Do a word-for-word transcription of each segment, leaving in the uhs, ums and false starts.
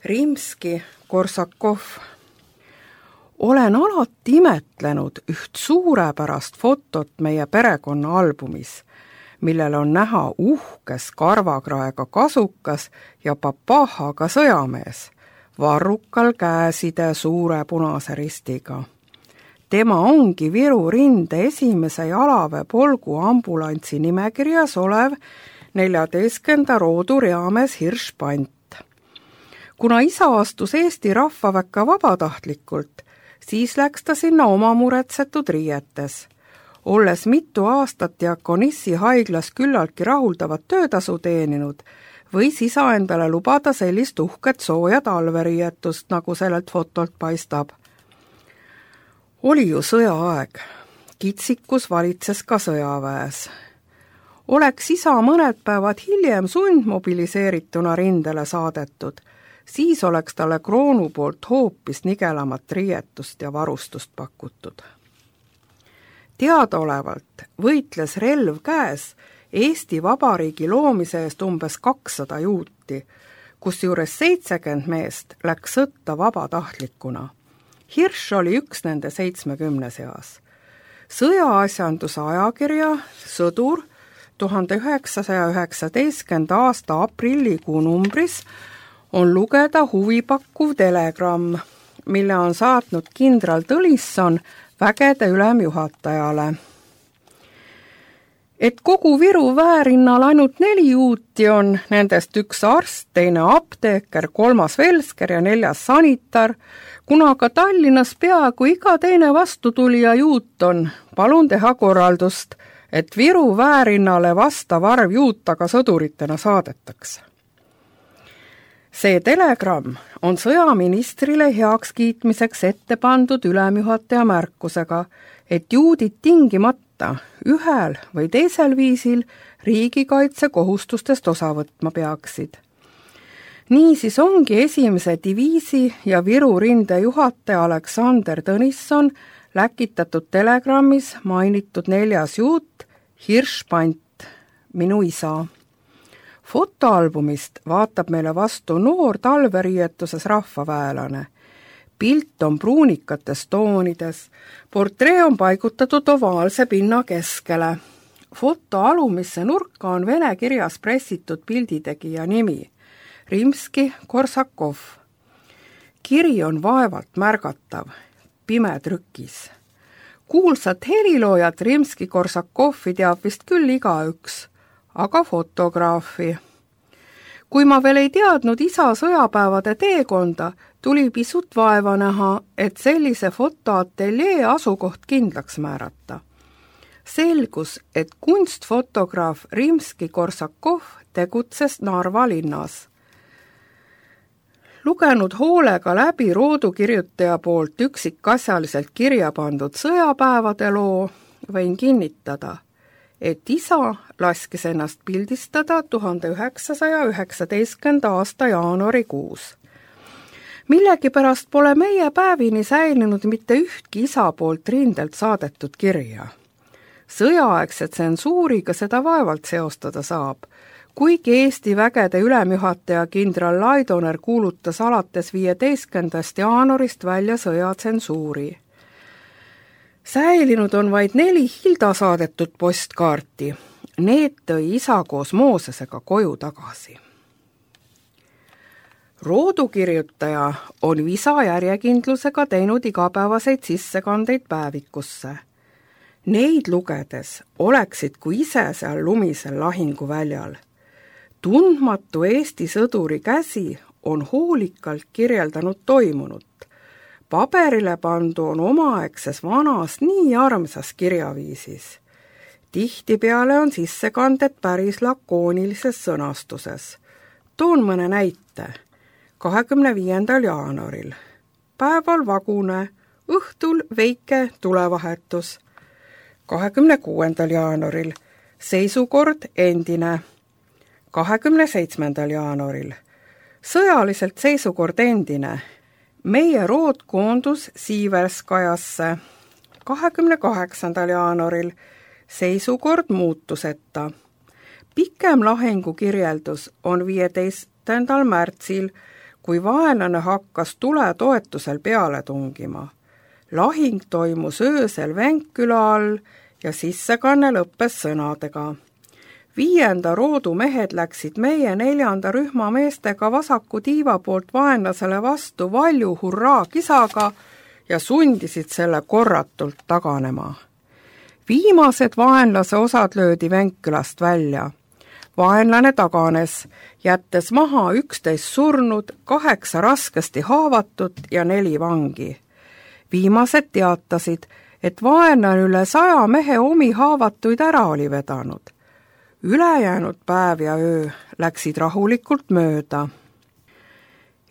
Rimski-Korsakov. Olen alati imetlenud üht suurepärast fotot meie perekonna albumis, millel on näha uhkes karvakraega kasukas ja papahaga sõjamees, varrukal käeside suure punase ristiga. Tema ongi Viru rinde esimese jalaväe polgu ambulantsi nimekirjas olev neljateistkümnenda roodu reamees Hirschpant. Kuna isa astus Eesti rahvaväkke vabatahtlikult, siis läks ta sinna oma muretsetud riietes. Olles mitu aastat Diakonissi haiglas küllaltki rahuldavat töötasu teeninud, võis isa endale lubada sellist uhket sooja talveriietust, nagu sellelt fotolt paistab. Oli ju sõjaaeg. Kitsikus valitses ka sõjaväes. Oleks isa mõned päevad hiljem sundmobiliseerituna rindele saadetud, siis oleks talle kroonu poolt hoopis nigelamat riietust ja varustust pakutud. Teadaolevalt võitles relv käes Eesti Vabariigi loomise eest umbes kakssada juuti, kusjuures seitsekümmend meest läks sõtta vabatahtlikuna. Hirš oli üks nende seitsmekümne seas. Sõjaasjanduse ajakirja Sõdur tuhande üheksasaja üheksateistkümnenda aasta aprillikuu numbris on lugeda huvipakkuv telegramm, mille on saatnud kindral Tõnisson vägede ülemjuhatajale. Et kogu Viru väerinnal ainult neli juuti on, nendest üks arst, teine apteeker, kolmas velsker ja neljas sanitar, kuna ka Tallinnas peaaegu iga teine vastutulija juut on, palun teha korraldust, et Viru väerinnale vastav arv juutaga sõduritena saadetakse. See telegramm on sõjaministrile heakskiitmiseks ette pandud ülemjuhataja märkusega, et juudid tingimata ühel või teisel viisil riigikaitse kohustustest osa võtma peaksid. Niisiis ongi esimese diviisi ja Viru rinde juhataja Aleksander Tõnisson läkitatud telegrammis mainitud neljas juut Hirschpant, minu isa. Fotoalbumist vaatab meile vastu noor talveriietuses rahvaväelane. Pilt on pruunikates toonides, portree on paigutatud ovaalse pinna keskele. Foto alumisse nurka on vene kirjas pressitud pilditegija nimi, Rimski-Korsakov. Kiri on vaevalt märgatav, pime trükis. Kuulsat heliloojat Rimski-Korsakovi teab vist küll igaüks, aga fotograafi. Kui ma veel ei teadnud isa sõjapäevade teekonda, tuli pisut vaeva näha, et sellise fotoateljee asukoht kindlaks määrata. Selgus, et kunstfotograaf Rimski-Korsakov tegutses Narva linnas. Lugenud hoolega läbi roodukirjutaja poolt üksikasjaliselt kirja pandud sõjapäevade loo, võin kinnitada, et isa laskis ennast pildistada tuhande üheksasaja üheksateistkümnenda aasta jaanuarikuus. Millegipärast pole meie päevini säilinud mitte ühtki isa poolt rindelt saadetud kirja. Sõjaaegse tsensuuriga seda vaevalt seostada saab, kuigi Eesti vägede ülemjuhataja kindral Laidoner kuulutas alates viieteistkümnendast jaanuarist välja sõjatsensuuri. Säilinud on vaid neli Hilda saadetud postkaarti. Need tõi isa koos Moosesega koju tagasi. Roodukirjutaja on visa järjekindlusega teinud igapäevaseid sissekandeid päevikusse. Neid lugedes oleksid kui ise seal lumisel lahinguväljal. Tundmatu Eesti sõduri käsi on hoolikalt kirjeldanud toimunut. Paberile pandu on omaaegses vanas nii armsas kirjaviisis. Tihtipeale on sissekanded päris lakoonilises sõnastuses. Toon mõne näite. kahekümne viiendal jaanuaril. Päeval vagune, õhtul väike tulevahetus. kahekümne kuuendal jaanuaril. Seisukord endine. kahekümne seitsmendal jaanuaril. Sõjaliselt seisukord endine. Meie rood koondus Siiverskajasse. kahekümne kaheksandal jaanuaril. Seisukord muutuseta. Pikem lahingu kirjeldus on viieteistkümnendal märtsil, kui vaenlane hakkas tule toetusel peale tungima. Lahing toimus öösel Venkküla all ja sissekanne lõppes sõnadega. Viienda roodu mehed läksid meie neljanda rühma meestega vasaku tiiva poolt vaenlasele vastu valju hurraa kisaga ja sundisid selle korratult taganema. Viimased vaenlase osad löödi Venkkülast välja. Vaenlane taganes, jättes maha üksteist surnud, kaheksa raskesti haavatut ja neli vangi. Viimased teatasid, et vaenlane üle saja mehe omi haavatuid ära oli vedanud. Ülejäänud päev ja öö läksid rahulikult mööda.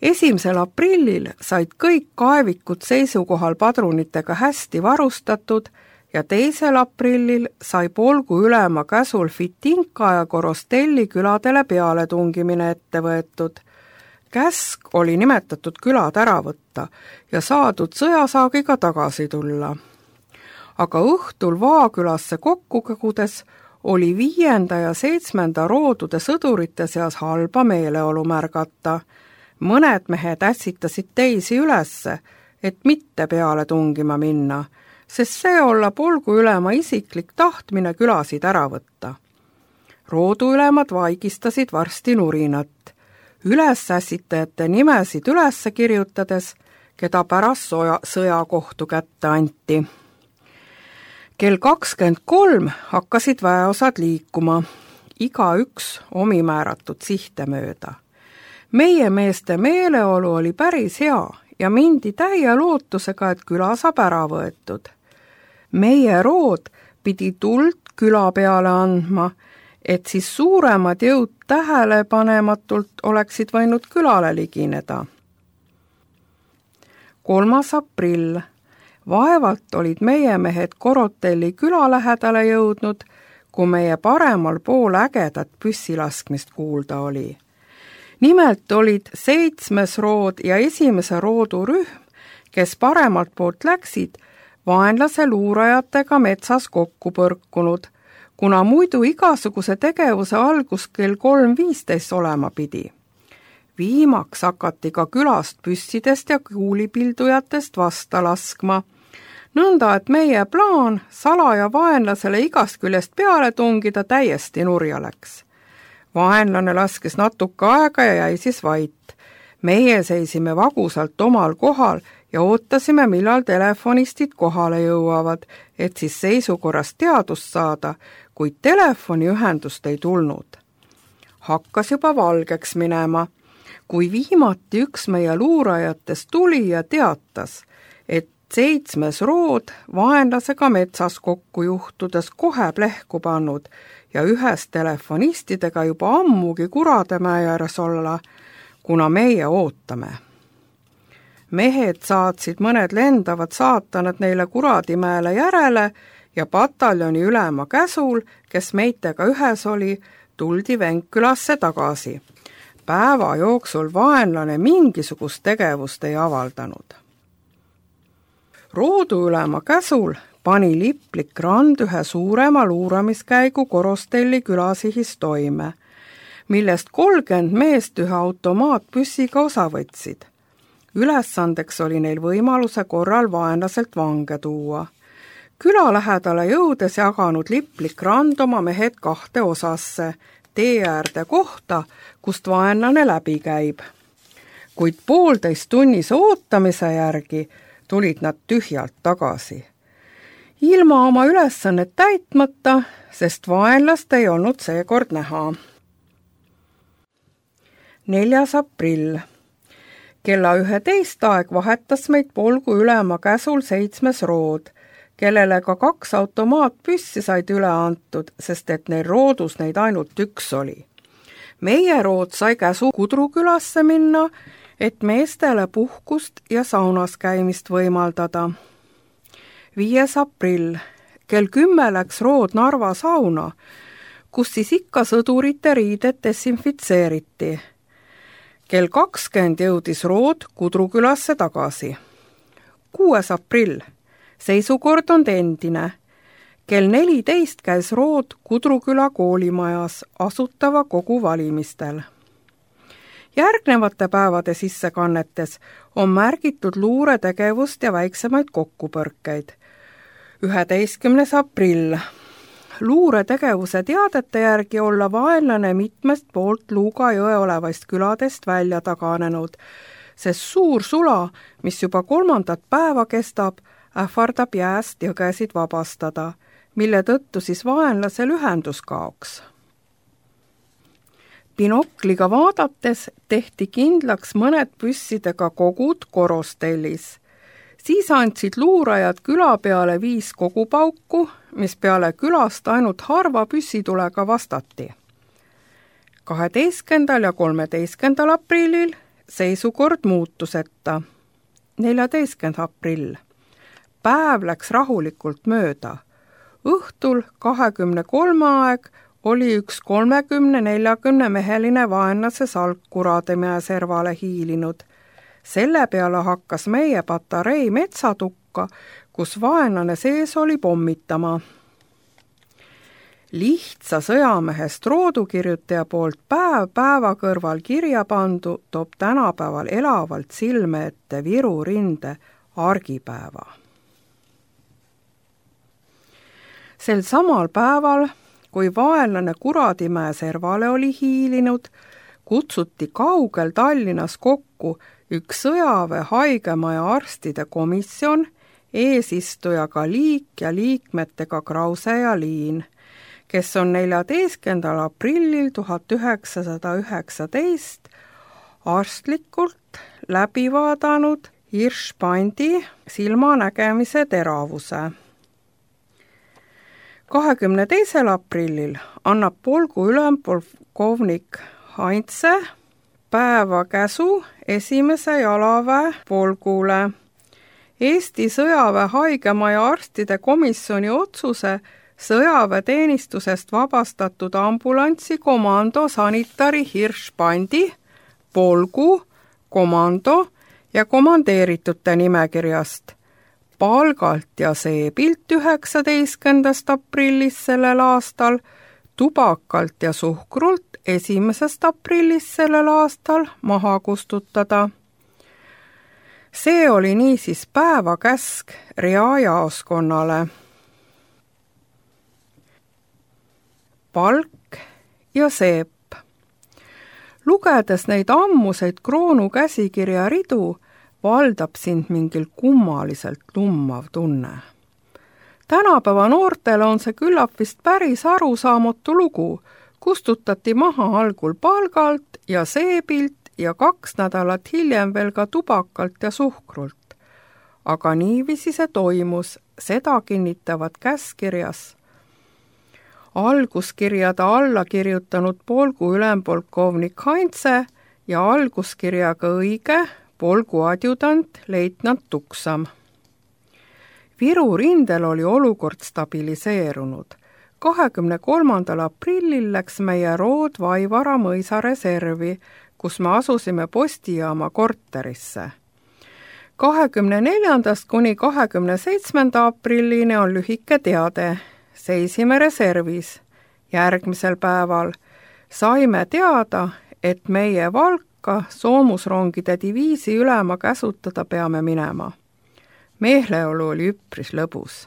Esimesel aprillil said kõik kaevikud seisukohal padrunitega hästi varustatud ja teisel aprillil sai polgu ülema käsul Fitinka ja Korostelli küladele pealetungimine ette võetud. Käsk oli nimetatud külad ära võtta ja saadud sõjasaagiga tagasi tulla. Aga õhtul Vaakülasse kokku kogudes oli viienda ja seitsmenda roodude sõdurite seas halba meeleolu märgata. Mõned mehed ässitasid teisi ülesse, et mitte peale tungima minna, sest see olla polgu ülema isiklik tahtmine külasid ära võtta. Rooduülemad vaigistasid varsti nurinat. Ülesässitajate nimesid ülesse kirjutades, keda pärast soja, sõjakohtu kätte anti. Kell kakskümmend kolm hakkasid väeosad liikuma, iga üks omi määratud sihte mööda. Meie meeste meeleolu oli päris hea ja mindi täie lootusega, et küla saab ära võetud. Meie rood pidi tuld küla peale andma, et siis suuremad jõud tähelepanematult oleksid võinud külale ligineda. kolmas aprill. Vaevalt olid meie mehed Korotelli küla lähedale jõudnud, kui meie paremal pool ägedat püssilaskmist kuulda oli. Nimelt olid seitsmes rood ja esimese roodu rühm, kes paremalt poolt läksid, vaenlase luurajatega metsas kokku põrkunud, kuna muidu igasuguse tegevuse algus kell kolm viisteist olema pidi. Viimaks hakati ka külast püssidest ja kuulipildujatest vasta laskma, nõnda et meie plaan salaja vaenlasele igast küljest peale tungida täiesti nurja läks. Vaenlane laskes natuke aega ja jäi siis vait. Meie seisime vagusalt omal kohal ja ootasime, millal telefonistid kohale jõuavad, et siis seisukorrast teadust saada, kuid telefoniühendust ei tulnud. Hakkas juba valgeks minema, kui viimati üks meie luurajatest tuli ja teatas, et seitsmes rood vaenlasega metsas kokku juhtudes kohe plehku pannud ja ühes telefonistidega juba ammugi Kurademäe ääres olla, kuna meie ootame. Mehed saatsid mõned lendavad saatanad neile Kuradimäele järele ja pataljoni ülema käsul, kes meitega ühes oli, tuldi Venkkülasse tagasi. Päeva jooksul vaenlane mingisugust tegevust ei avaldanud. Rooduülema käsul pani Liplik Rand ühe suurema luuramiskäigu Korostelli külasihis toime, millest kolmkümmend meest ühe automaatpüssiga osa võtsid. Ülesandeks oli neil võimaluse korral vaenlaselt vange tuua. Küla lähedale jõudes jaganud Liplik Rand oma mehed kahte osasse, tee äärde kohta, kust vaenlane läbi käib. Kuid poolteist tunnise ootamise järgi tulid nad tühjalt tagasi. Ilma oma ülesannet täitmata, sest vaenlast ei olnud seekord näha. neljas aprill. Kella üheteist aeg vahetas meid polgu ülema käsul seitsmes rood, kellele ka kaks automaatpüssi said üle antud, sest et neil roodus neid ainult üks oli. Meie rood sai käsu Kudrukülasse minna, et meestele puhkust ja saunas käimist võimaldada. viies aprill. Kell kümme läks rood Narva sauna, kus siis ikka sõdurite riided desinfitseeriti. Kell kakskümmend jõudis rood Kudrukülasse tagasi. kuues aprill. Seisukord on endine. Kell neliteist käis rood Kudruküla koolimajas asutava kogu valimistel. Järgnevate päevade sissekannetes on märgitud luuretegevust ja väiksemaid kokkupõrkeid. üheteistkümnes aprill. Luuretegevuse teadete järgi olla vaenlane mitmest poolt Luuga jõe olevaist küladest välja taganenud, sest suur sula, mis juba kolmandat päeva kestab, ähvardab jääst jõgesid vabastada, mille tõttu siis vaenlasel ühendus kaoks. Binokliga vaadates tehti kindlaks mõned püssidega kogud Korostellis. Siis andsid luurajad küla peale viis kogupauku, mis peale külast ainult harva püssitulega vastati. kaheteistkümnendal ja kolmeteistkümnendal aprillil seisukord muutuseta. neljateistkümnes aprill. Päev läks rahulikult mööda. Õhtul kahekümne kolme aeg oli üks kolmekümne neljakümne meheline vaenlase salk Kurademäe servale hiilinud. Selle peale hakkas meie patarei metsatukka, kus vaenlane sees oli pommitama. Lihtsa sõjamehest roodukirjutaja poolt päev päeva kõrval kirja pandu toob tänapäeval elavalt silme ette Viru rinde argipäeva. Sel samal päeval, kui vaenlane Kuradimäe servale oli hiilinud, kutsuti kaugel Tallinnas kokku üks sõjaväe haigemaja arstide komisjon, eesistujaga Liik ja liikmetega Krause ja Liin, kes on neljateistkümnendal aprillil tuhat üheksasada üheksateist arstlikult läbi vaadanud Hirschsprungi silmanägemise teravuse. kahekümne teisel aprillil annab polgu ülempolkovnik Heinze päeva käsu esimese jalaväe polgule. Eesti sõjaväe haigemaja arstide komisjoni otsuse sõjaväeteenistusest vabastatud ambulantsi komando sanitari Hirschsprungi, polgu, komando ja komandeeritute nimekirjast, palgalt ja seebilt üheksateistkümnendast aprillist sellel aastal, tubakalt ja suhkrult esimesest aprillist sellel aastal maha kustutada. See oli niisiis päevakäsk reajaoskonnale. Palk ja seep. Lugedes neid ammuseid kroonu käsikirja ridu, valdab sind mingil kummaliselt lummav tunne. Tänapäeva noortele on see küllap vist päris arusaamatu lugu, kustutati maha algul palgalt ja seebilt ja kaks nädalat hiljem veel ka tubakalt ja suhkrult. Aga niiviisi see toimus, seda kinnitavad käskirjas. Alguskirjada alla kirjutanud polgu ülempolkovnik Heinze ja alguskirjaga õige polgu adjudant leitnant Tuksam. Viru rindel oli olukord stabiliseerunud. kahekümne kolmandal aprillil läks meie rood Vaivara mõisa reservi, kus me asusime postijaama korterisse. kahekümne neljandast kuni kahekümne seitsmenda aprillini on lühike teade. Seisime reservis. Järgmisel päeval saime teada, et meie Valka soomusrongide diviisi ülema käsutada peame minema. Meeleolu oli üpris lõbus.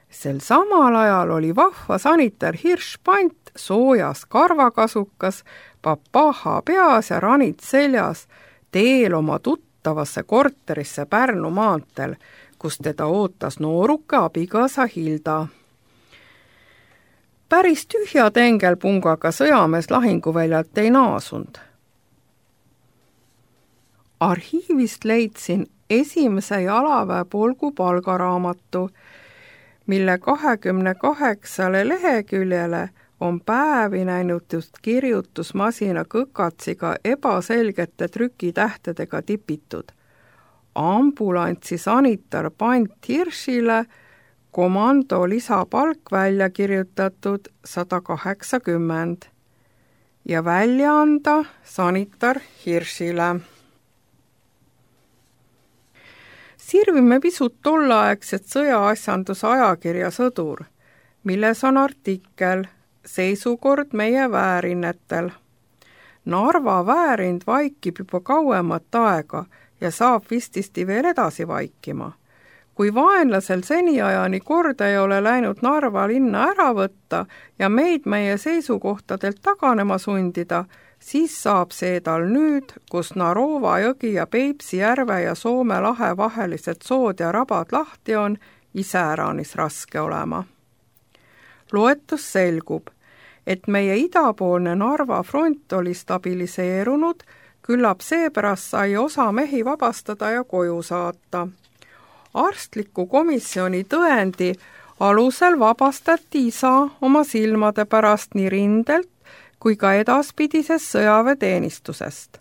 Sel samal ajal oli vahva sanitar Hirschsprung soojas karvakasukas, papaha peas ja ranid seljas teel oma tuttavasse korterisse Pärnu maanteel, kus teda ootas nooruke abikaasa Hilda. Päris tühja tengelpungaga sõjamees lahinguväljalt ei naasunud. Arhiivist leidsin esimese jalaväe polgu palgaraamatu, mille kahekümne kaheksale leheküljele on päevi näinud just kirjutusmasina kõkatsiga ebaselgete trükitähtedega tipitud. Ambulantsi sanitar Pant Hirschile komando lisapalk välja kirjutatud sada kaheksakümmend ja välja anda sanitar Hirschile. Sirvime pisut tolleaegset sõjaasjanduse ajakirja Sõdur, milles on artikkel Seisukord meie väärinnetel. Narva väärind vaikib juba kauemat aega ja saab vististi veel edasi vaikima. Kui vaenlasel seniajani korda ei ole läinud Narva linna ära võtta ja meid meie seisukohtadelt taganema sundida, siis saab see tal nüüd, kus Narova jõgi ja Peipsi järve ja Soome lahe vahelised sood ja rabad lahti on, iseäranis raske olema. Loetus selgub, et meie idapoolne Narva front oli stabiliseerunud, küllap seepärast sai osa mehi vabastada ja koju saata. Arstliku komisjoni tõendi alusel vabastati isa oma silmade pärast nii rindelt kui ka edaspidisest sõjaväeteenistusest.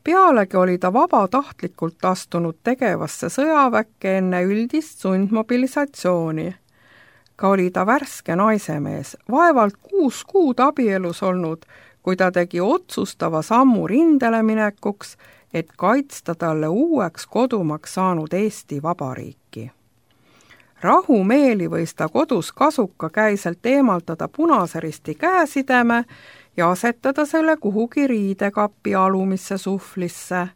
Pealegi oli ta vabatahtlikult astunud tegevasse sõjaväkke enne üldist sundmobilisatsiooni. Ka oli ta värske naisemees, vaevalt kuus kuud abielus olnud, kui ta tegi otsustava sammu rindele minekuks, et kaitsta talle uueks kodumaks saanud Eesti Vabariiki. Rahumeeli võis ta kodus kasuka käiselt eemaldada Punase Risti käesideme ja asetada selle kuhugi riidekapi alumisse suhvlisse.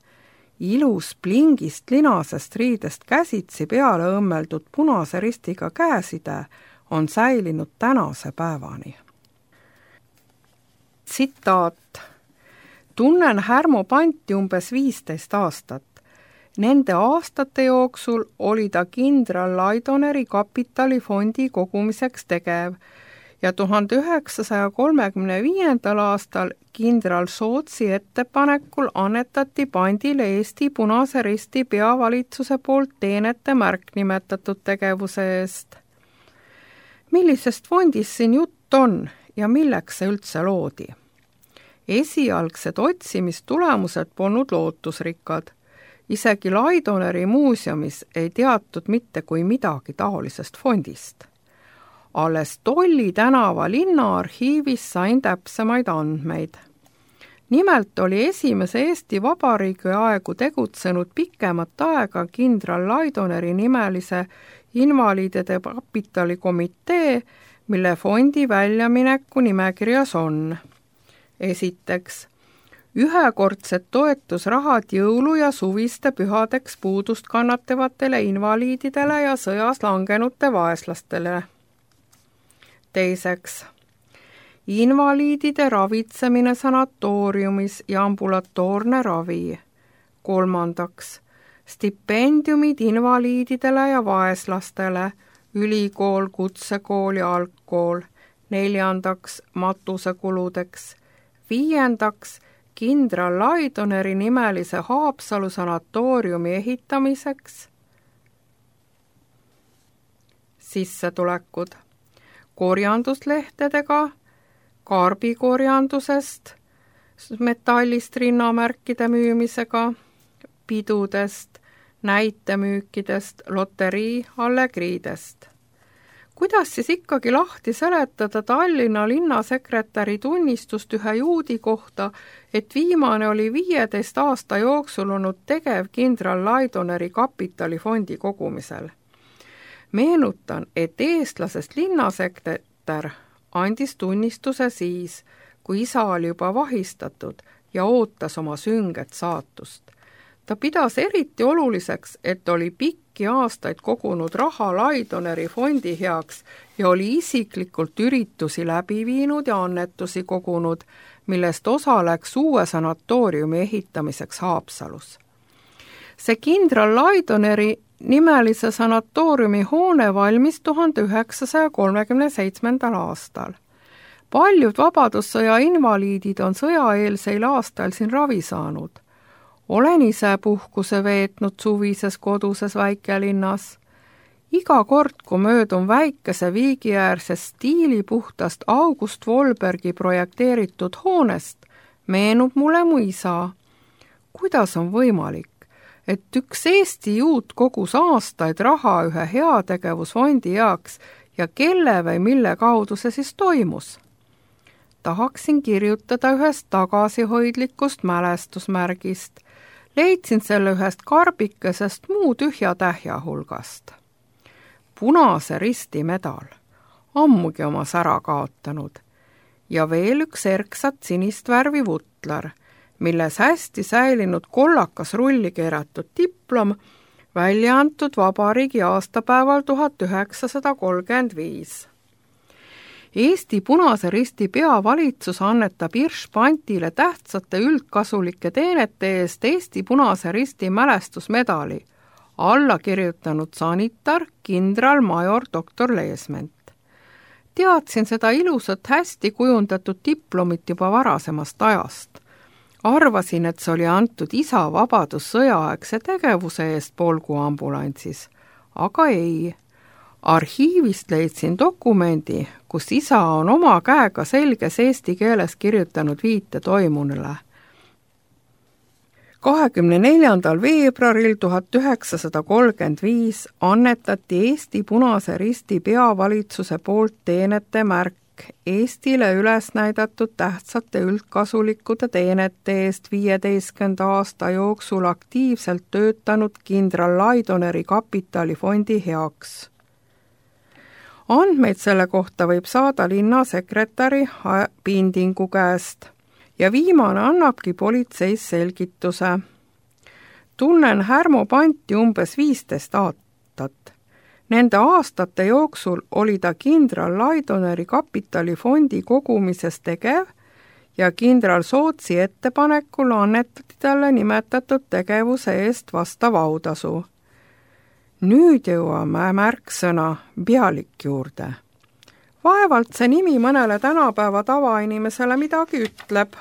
Ilus plingist linasest riidest käsitsi peale õmmeldud Punase Ristiga käeside on säilinud tänase päevani. Tsitaat. Tunnen Härmo Panti umbes viisteist aastat. Nende aastate jooksul oli ta kindral Laidoneri kapitalifondi kogumiseks tegev ja tuhande üheksasaja kolmekümne viiendal aastal kindral Sootsi ettepanekul annetati Pandile Eesti Punase Risti peavalitsuse poolt teenete märk nimetatud tegevuse eest. Millisest fondist siin jutt on ja milleks see üldse loodi? Esialgsed otsimistulemused polnud lootusrikkad. Isegi Laidoneri muuseumis ei teatud mitte kui midagi taolisest fondist. Alles Tolli tänava linnaarhiivis sain täpsemaid andmeid. Nimelt oli esimese Eesti Vabariigi aegu tegutsenud pikemat aega kindral Laidoneri nimelise invaliidide kapitalikomitee, mille fondi väljamineku nimekirjas on. Esiteks, ühekordsed toetusrahad jõulu- ja suviste pühadeks puudust kannatavatele invaliididele ja sõjas langenute vaeslastele. Teiseks, invaliidide ravitsemine sanatooriumis ja ambulatoorne ravi. Kolmandaks, stipendiumid invaliididele ja vaeslastele, ülikool, kutsekool ja algkool. Neljandaks, matusekuludeks. Viiendaks, kindral Laidoneri nimelise Haapsalu sanatooriumi ehitamiseks. Sissetulekud. Korjanduslehtedega, kaarbikorjandusest, metallist rinnamärkide müümisega, pidudest, näitemüükidest, loterii allegriidest. Kuidas siis ikkagi lahti seletada Tallinna linnasekretäri tunnistust ühe juudi kohta, et viimane oli viieteist aasta jooksul olnud tegev kindral Laidoneri kapitalifondi kogumisel? Meenutan, et eestlasest linnasekretär andis tunnistuse siis, kui isa oli juba vahistatud ja ootas oma sünget saatust. Ta pidas eriti oluliseks, et oli pikki aastaid kogunud raha Laidoneri fondi heaks ja oli isiklikult üritusi läbi viinud ja annetusi kogunud, millest osa läks uue sanatooriumi ehitamiseks Haapsalus. See kindral Laidoneri nimelise sanatooriumi hoone valmis tuhande üheksasaja kolmekümne seitsmendal aastal. Paljud vabadussõja invaliidid on sõjaeelseil aastal siin ravi saanud. Olen ise puhkuse veetnud suvises koduses väikelinnas. Iga kord, kui möödun väikese viigiäärsest stiilipuhtast August Wolbergi projekteeritud hoonest, meenub mulle mu isa. Kuidas on võimalik, et üks Eesti juut kogus aastaid raha ühe heategevusfondi heaks ja kelle või mille kaudu see siis toimus? Tahaksin kirjutada ühest tagasihoidlikust mälestusmärgist. Leidsin selle ühest karbikesest muu tühja tähja hulgast. Punase Risti medal, ammugi oma sära kaotanud, ja veel üks erksat sinist värvi vutt Kantler, milles hästi säilinud kollakas rulli keeratud diplom, välja antud vabariigi aastapäeval tuhat üheksasada kolmkümmend viis. Eesti Punase Risti peavalitsus annetab Hirschpantile tähtsate üldkasulike teenete eest Eesti Punase Risti mälestusmedali, alla kirjutanud sanitar kindralmajor doktor Leesment. Teadsin seda ilusat hästi kujundatud diplomit juba varasemast ajast. Arvasin, et see oli antud isa vabadussõjaaegse tegevuse eest Polgu ambulantsis, aga ei. Arhiivist leidsin dokumendi, kus isa on oma käega selges eesti keeles kirjutanud viite toimunule. kahekümne neljandal veebruaril tuhat üheksasada kolmkümmend viis annetati Eesti Punase Risti peavalitsuse poolt teenete märk Eestile üles näidatud tähtsate üldkasulikude teenete eest viieteistkümnenda aasta jooksul aktiivselt töötanud kindral Laidoneri kapitalifondi heaks. Andmeid selle kohta võib saada linnasekretäri Pindingu käest ja viimane annabki politseis selgituse. Tunnen Härmo Panti umbes viisteist aastat. Nende aastate jooksul oli ta kindral Laidoneri kapitalifondi kogumises tegev ja kindral Sootsi ettepanekul annetati talle nimetatud tegevuse eest vastav autasu. Nüüd jõuame märksõna pealik juurde. Vaevalt see nimi mõnele tänapäeva tavainimesele midagi ütleb.